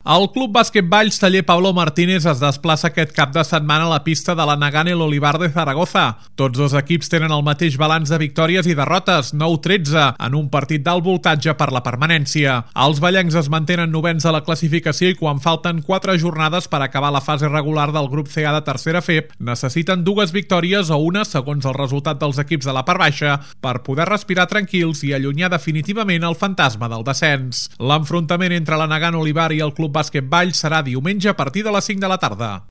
El Club Bàsquet Valls Taller Pablo Martínez es desplaça aquest cap de setmana a la pista de la Nagant El Olivar de Zaragoza. Tots dos equips tenen el mateix balanç de victòries i derrotes, 9-13, en un partit d'alt voltatge per la permanència. Els vallencs es mantenen novens a la classificació i quan falten 4 jornades per acabar la fase regular del grup CA de tercera FEP, necessiten 2 victòries o una, segons el resultat dels equips de la part baixa, per poder respirar tranquils i allunyar definitivament el fantasma del descens. L'enfrontament entre la Nagant Olivar i el Club Bàsquet Valls serà diumenge a partir de les 5 de la tarda.